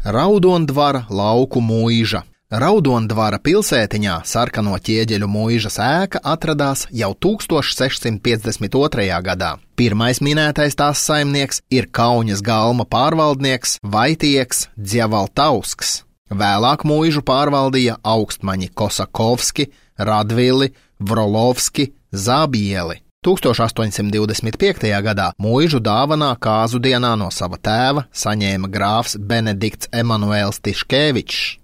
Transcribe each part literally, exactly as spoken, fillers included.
Raudondvara lauku mūiža. Raudondvara pilsētiņā sarkano ķieģeļu mūižas ēka atradās jau tūkstoš sešsimt piecdesmit otrajā gadā. Pirmais minētais tās saimnieks ir Kauņas galma pārvaldnieks Vaitieks Dzjavaltausks. Vēlāk mūižu pārvaldīja augstmaņi Kosakovski, Radvili, Vrolovski, Zabieli. tūkstoš astoņsimt divdesmit piektajā gadā mūižu dāvanā kāzu dienā no sava tēva saņēma grāfs Benedikts Emanuēls Tiškevičs.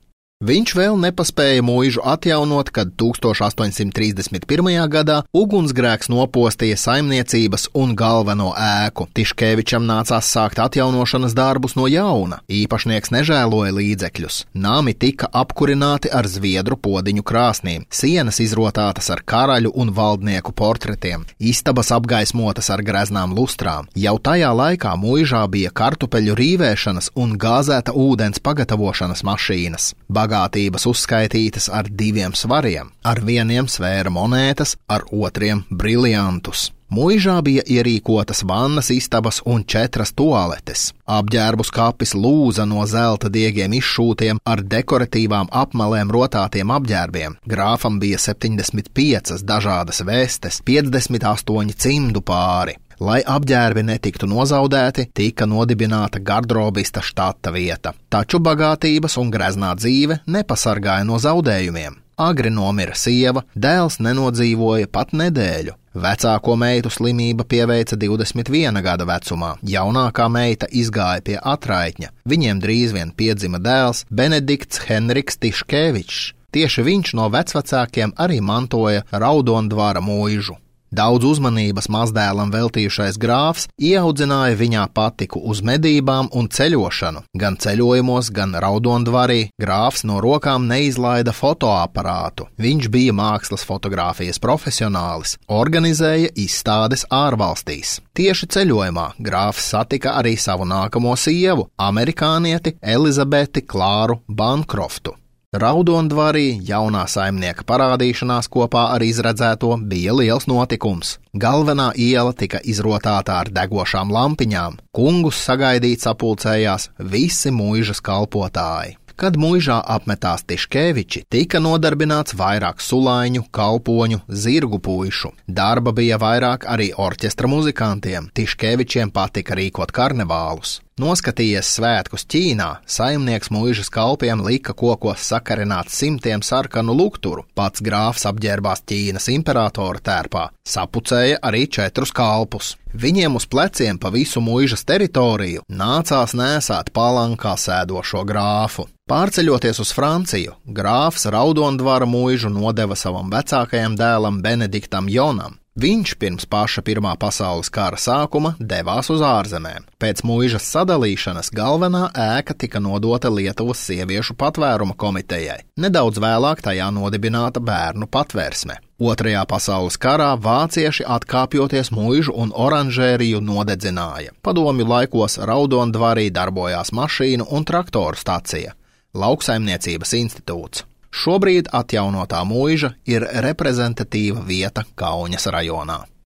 Viņš vēl nepaspēja mūižu atjaunot, kad tūkstoš astoņsimt trīsdesmit pirmajā gadā ugunsgrēks nopostīja saimniecības un galveno ēku. Tiškevičam nācās sākt atjaunošanas darbus no jauna. Īpašnieks nežēloja līdzekļus. Nami tika apkurināti ar zviedru podiņu krāsnīm, sienas izrotātas ar karaļu un valdnieku portretiem, istabas apgaismotas ar greznām lustrām. Jau tajā laikā mūižā bija kartupeļu rīvēšanas un gāzēta ūdens pagatavošanas mašīnas. Bagātības uzskaitītas ar diviem svariem, ar vieniem svēra monētas, ar otriem briliantus. Mūižā bija ierīkotas vannas istabas un četras tualetes. Apģērbu skapis lūza no zelta diegiem izšūtiem ar dekoratīvām apmalēm rotātiem apģērbiem. Grāfam bija septiņdesmit piecas dažādas vestes, piecdesmit astoņi cimdu pāri. Lai apģērbi netiktu nozaudēti, tika nodibināta gardrobista štata vieta. Taču bagātības un greznā dzīve nepasargāja no zaudējumiem. Agri nomira sieva, dēls nenodzīvoja pat nedēļu. Vecāko meitu slimība pieveica divdesmit viena gada vecumā, jaunākā meita izgāja pie atraitņa. Viņiem drīz vien piedzima dēls Benedikts Henriks Tiškevičs. Tieši viņš no vecvecākiem arī mantoja Raudondvara mūižu. Daudz uzmanības mazdēlam veltījušais grāfs ieaudzināja viņā patiku uz medībām un ceļošanu. Gan ceļojumos, gan Raudondvarī grāfs no rokām neizlaida fotoaparātu. Viņš bija mākslas fotogrāfijas profesionālis, organizēja izstādes ārvalstīs. Tieši ceļojumā grāfs satika arī savu nākamo sievu, amerikānieti Elizabeti Klāru Bankroftu. Raudondvarī jaunā saimnieka parādīšanās kopā ar izredzēto bija liels notikums. Galvenā iela tika izrotāta ar degošām lampiņām. Kungus sagaidīt sapulcējās visi mūižas kalpotāji. Kad mūižā apmetās Tiškeviči, tika nodarbināts vairāk sulaiņu, kalpoņu, zirgu puišu. Darba bija vairāk arī orķestra muzikantiem. Tiškevičiem patika rīkot karnevālus. Noskatījies svētkus Ķīnā, saimnieks mūižas kalpiem lika kokos sakarināt simtiem sarkanu lukturu. Pats grāfs apģērbās Ķīnas imperatora tērpā, sapucēja arī četrus kalpus. Viņiem uz pleciem pa visu mūižas teritoriju nācās nēsāt palankā sēdošo grāfu. Pārceļoties uz Franciju, grāfs Raudondvara mūižu nodeva savam vecākajam dēlam Benediktam Jonam. Viņš pirms paša Pirmā pasaules kara sākuma devās uz ārzemēm. Pēc mūižas sadalīšanas galvenā ēka tika nodota Lietuvas sieviešu patvēruma komitejai. Nedaudz vēlāk tajā nodibināta bērnu patvērsme. Otrajā pasaules karā vācieši atkāpjoties mūižu un oranžēriju nodedzināja. Padomju laikos Raudondvarī darbojās mašīnu un traktoru stacija, Lauksaimniecības institūts. Šobrīd atjaunotā mūiža ir reprezentatīva vieta Kauņas rajonā.